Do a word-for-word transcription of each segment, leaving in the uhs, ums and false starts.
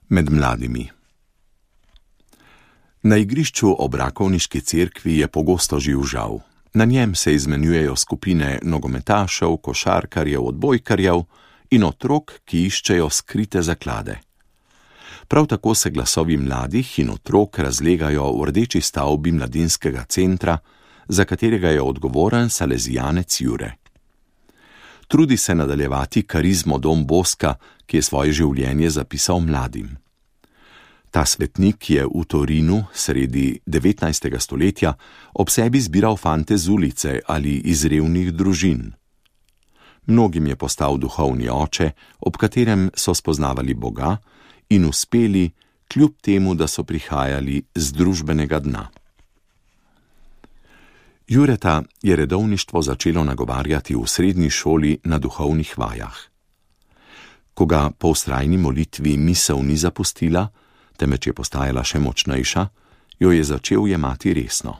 Med mladimi. Na igrišču ob Rakovniški cerkvi je pogosto živ žav. Na njem se izmenjujejo skupine nogometašev, košarkarjev, odbojkarjev in otrok, ki iščejo skrite zaklade. Prav tako se glasovi mladih in otrok razlegajo v rdeči stavbi mladinskega centra, za katerega je odgovoren salezijanec Jure. Trudi se nadaljevati karizmo Don Boska, ki je svoje življenje zapisal mladim. Ta svetnik je v Torinu sredi devetnajstega stoletja ob sebi zbiral fante z ulice ali iz revnih družin. Mnogim je postal duhovni oče, ob katerem so spoznavali Boga in uspeli, kljub temu, da so prihajali z družbenega dna. Jureta je redovništvo začelo nagovarjati v srednji šoli na duhovnih vajah. Ko ga po vztrajni molitvi misel ni zapustila, temveč je postajala še močnejša, jo je začel jemati resno.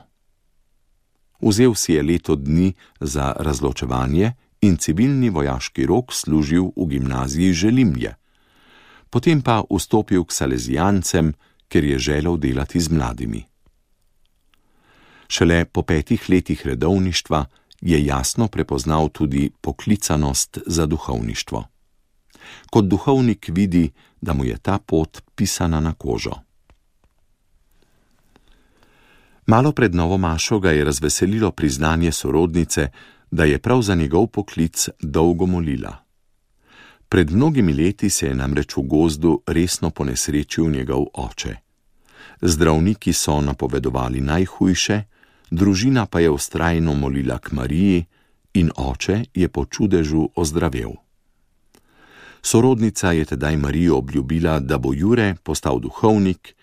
Vzel si je leto dni za razločevanje in civilni vojaški rok služil v gimnaziji Želimlje. Potem pa vstopil k salezijancem, ker je želel delati z mladimi. Šele po petih letih redovništva je jasno prepoznal tudi poklicanost za duhovništvo. Kot duhovnik vidi, da mu je ta pot pisana na kožo. Malo pred novo mašo ga je razveselilo priznanje sorodnice, da je prav za njegov poklic dolgo molila. Pred mnogimi leti se je namreč v gozdu resno ponesrečil njegov oče. Zdravniki so napovedovali najhujše, družina pa je vztrajno molila k Mariji in oče je po čudežu ozdravel. Sorodnica je tedaj Marijo obljubila, da bo Jure postal duhovnik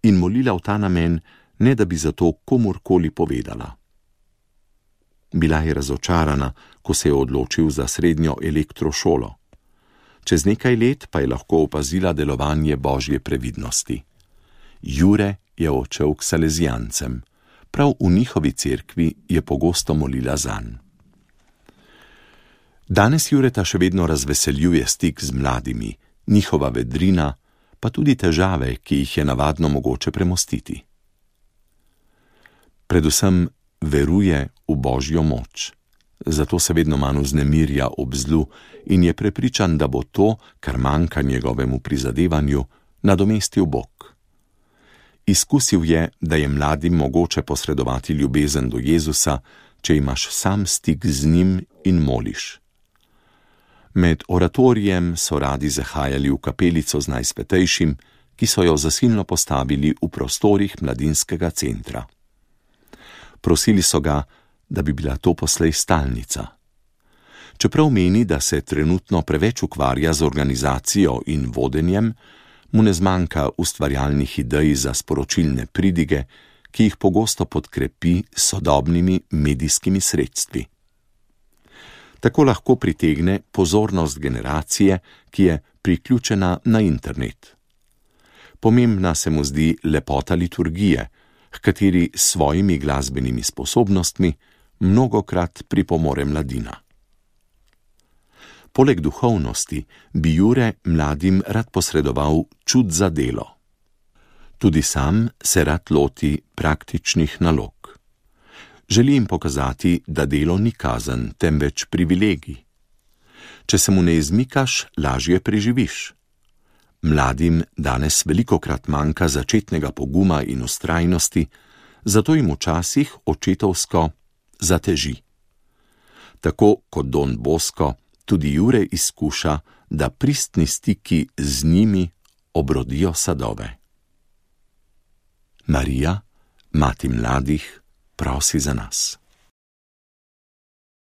in molila v ta namen, ne da bi zato komurkoli povedala. Bila je razočarana, ko se je odločil za srednjo elektrošolo. Čez nekaj let pa je lahko opazila delovanje Božje previdnosti. Jure je odšel k salezijancem. Prav v njihovi cerkvi je pogosto molila zanj. Danes Jureta še vedno razveseljuje stik z mladimi, njihova vedrina, pa tudi težave, ki jih je navadno mogoče premostiti. Predvsem veruje v Božjo moč, zato se vedno manj vznemirja ob zlu in je prepričan, da bo to, kar manjka njegovemu prizadevanju, nadomestil Bog. Izkusil je, da je mladim mogoče posredovati ljubezen do Jezusa, če imaš sam stik z njim in moliš. Med oratorijem so radi zahajali v kapelico z Najsvetejšim, ki so jo zasilno postavili v prostorih mladinskega centra. Prosili so ga, da bi bila to poslej stalnica. Čeprav meni, da se trenutno preveč ukvarja z organizacijo in vodenjem, mu ne zmanjka ustvarjalnih idej za sporočilne pridige, ki jih pogosto podkrepi s sodobnimi medijskimi sredstvi. Tako lahko pritegne pozornost generacije, ki je priključena na internet. Pomembna se mu zdi lepota liturgije, h kateri s svojimi glasbenimi sposobnostmi mnogokrat pripomore mladina. Poleg duhovnosti bi Jure mladim rad posredoval čut za delo. Tudi sam se rad loti praktičnih nalog. Želi jim pokazati, da delo ni kazen, temveč privilegij. Če se mu ne izmikaš, lažje preživiš. Mladim danes velikokrat manjka začetnega poguma in vztrajnosti, zato jim včasih očetovsko zateži. Tako kot Don Bosko, tudi Jure izkuša, da pristni stiki z njimi obrodijo sadove. Marija, mati mladih, prosi za nas.